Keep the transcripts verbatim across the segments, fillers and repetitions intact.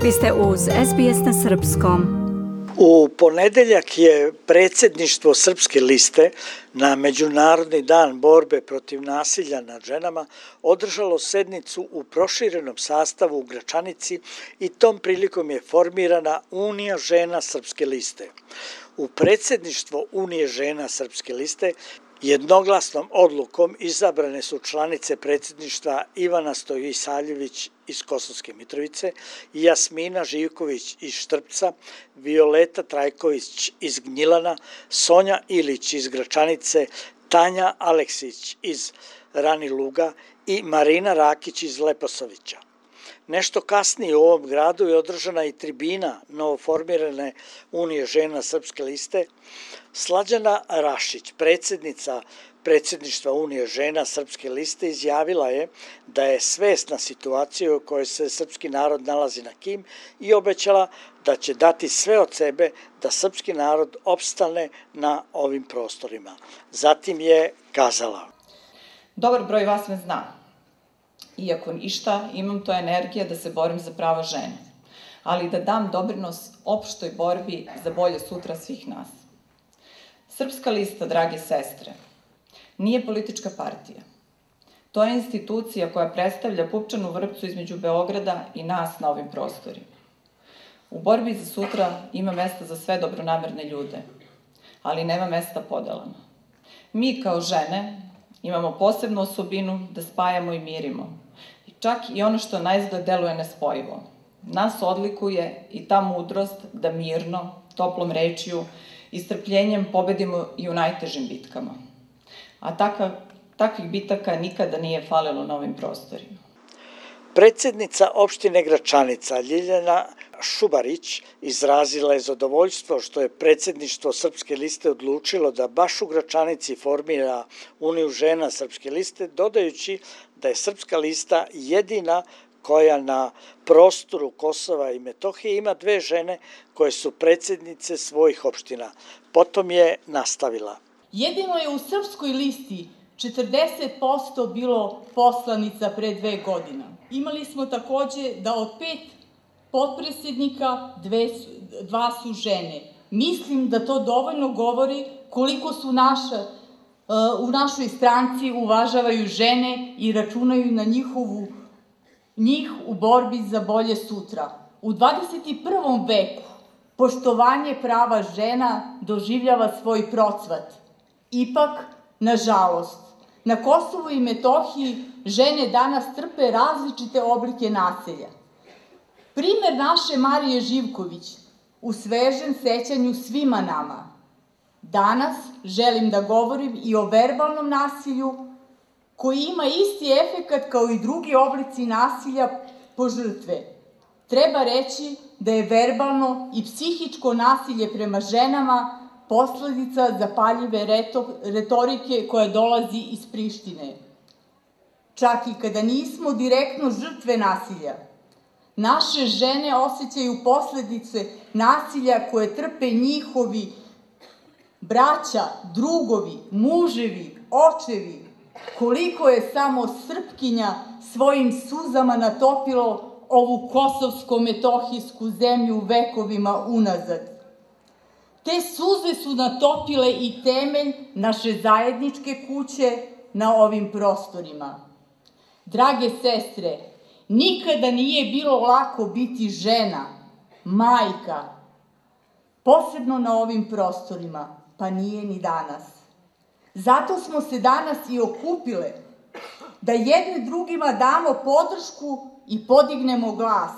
Vi ste uz S B S na srpskom. U ponedeljak je predsjedništvo Srpske liste na Međunarodni dan borbe protiv nasilja nad ženama održalo sednicu u proširenom sastavu u Gračanici i tom prilikom je formirana Unija žena Srpske liste. U predsjedništvo Unije žena Srpske liste jednoglasnom odlukom izabrane su članice predsjedništva Ivana Stojisaljević iz Kosovske Mitrovice, Jasmina Živković iz Štrpca, Violeta Trajković iz Gnjilana, Sonja Ilić iz Gračanice, Tanja Aleksić iz Raniluga i Marina Rakić iz Leposavića. Nešto kasnije u ovom gradu je održana i tribina novoformirane Unije žena Srpske liste. Slađana Rašić, predsjednica predsjedništva Unije žena Srpske liste, izjavila je da je svesna situacije u kojoj se srpski narod nalazi na kim i obećala da će dati sve od sebe da srpski narod opstane na ovim prostorima. Zatim je kazala: Dobar broj vas me zna. Iako ništa, imam to energija da se borim za prava žene, ali da dam doprinos opštoj borbi za bolje sutra svih nas. Srpska lista, drage sestre, nije politička partija. To je institucija koja predstavlja pupčanu vrpcu između Beograda i nas na ovim prostorima. U borbi za sutra ima mesta za sve dobronamerne ljude, ali nema mesta podelama. Mi kao žene imamo posebnu osobinu da spajamo i mirimo. Čak i ono što naizgled deluje nespojivo. Nas odlikuje i ta mudrost da mirno, toplom rečju i strpljenjem pobedimo i u najtežim bitkama. A takav, takvih bitaka nikada nije falilo na ovim prostorima. Predsjednica opštine Gračanica Ljiljana Šubarić izrazila je zadovoljstvo što je predsjedništvo Srpske liste odlučilo da baš u Gračanici formira Uniju žena Srpske liste, dodajući da je Srpska lista jedina koja na prostoru Kosova i Metohije ima dve žene koje su predsjednice svojih opština. Potom je nastavila: Jedino je u Srpskoj listi četrdeset posto bilo poslanica pre dve godine. Imali smo takođe da od pet potpredsjednika dve, dva su žene. Mislim da to dovoljno govori koliko su naša, u našoj stranci uvažavaju žene i računaju na njihovu, njih u borbi za bolje sutra. U dvadeset prvom veku poštovanje prava žena doživljava svoj procvat. Ipak, nažalost, na Kosovu i Metohiji žene danas trpe različite oblike nasilja. Primer naše Marije Živković u svežem sećanju svima nama. Danas želim da govorim i o verbalnom nasilju koji ima isti efekat kao i drugi oblici nasilja po žrtve. Treba reći da je verbalno i psihičko nasilje prema ženama posledica zapaljive retorike koja dolazi iz Prištine. Čak i kada nismo direktno žrtve nasilja, naše žene osjećaju posledice nasilja koje trpe njihovi braća, drugovi, muževi, očevi. Koliko je samo Srpkinja svojim suzama natopilo ovu kosovsko-metohijsku zemlju vekovima unazad. Te suze su natopile i temelj naše zajedničke kuće na ovim prostorima. Drage sestre, nikada nije bilo lako biti žena, majka, posebno na ovim prostorima, pa nije ni danas. Zato smo se danas i okupile, da jedne drugima damo podršku i podignemo glas,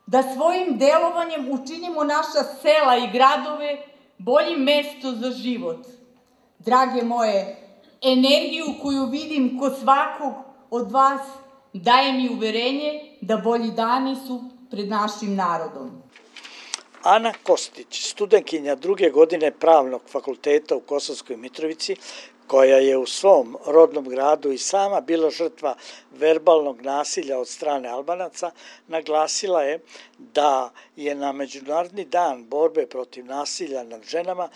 da svojim delovanjem učinimo naša sela i gradove boljim mesto za život. Drage moje, energiju koju vidim kod svakog od vas daje mi uverenje da bolji dani su pred našim narodom. Ana Kostić, studentkinja druge godine Pravnog fakulteta u Kosovskoj Mitrovici, koja je u svom rodnom gradu i sama bila žrtva verbalnog nasilja od strane Albanaca, naglasila je da je na Međunarodni dan borbe protiv nasilja nad ženama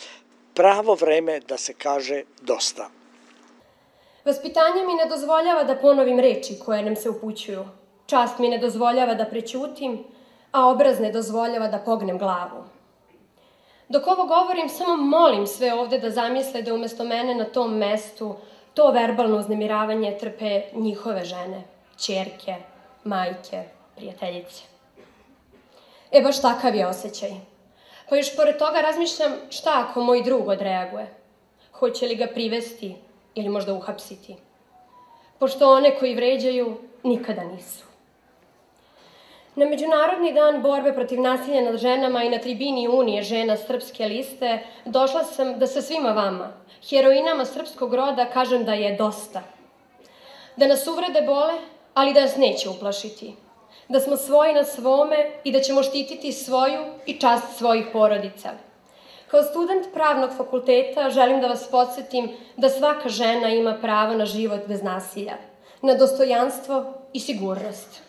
pravo vreme da se kaže dosta. Vaspitanje mi ne dozvoljava da ponovim reči koje nam se upućuju. Čast mi ne dozvoljava da prećutim, a obraz ne dozvoljava da pognem glavu. Dok ovo govorim, samo molim sve ovde da zamisle da umesto mene na tom mestu to verbalno uznemiravanje trpe njihove žene, ćerke, majke, prijateljice. E, baš takav je osjećaj. Pa još pored toga razmišljam šta ako moj drug odreaguje. Hoće li ga privesti ili možda uhapsiti? Pošto one koji vređaju nikada nisu. Na Međunarodni dan borbe protiv nasilja nad ženama i na tribini Unije žena Srpske liste došla sam da sa svima vama, heroinama srpskog roda, kažem da je dosta. Da nas uvrede bole, ali da nas neće uplašiti. Da smo svoji na svome i da ćemo štititi svoju i čast svojih porodica. Kao student pravnog fakulteta želim da vas podsjetim da svaka žena ima pravo na život bez nasilja, na dostojanstvo i sigurnost.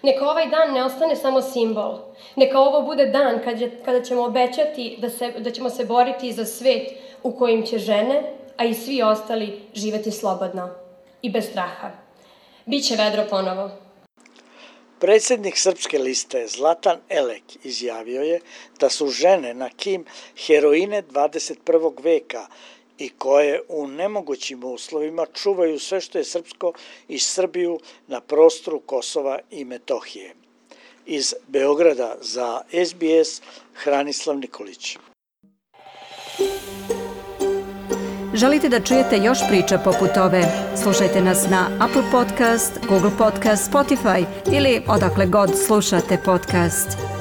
Neka ovaj dan ne ostane samo simbol. Neka ovo bude dan kada ćemo obećati da, se, da ćemo se boriti za svet u kojim će žene, a i svi ostali, živeti slobodno i bez straha. Biće vedro ponovo. Predsjednik Srpske liste Zlatan Elek izjavio je da su žene na kim heroine dvadeset prvog veka i koje u nemogućim uslovima čuvaju sve što je srpsko i Srbiju na prostoru Kosova i Metohije. Iz Beograda za S B S Hranislav Nikolić. Želite da čujete još priča poput ove? Slušajte nas na Apple Podcast, Google Podcast, Spotify ili odakle god slušate podcast.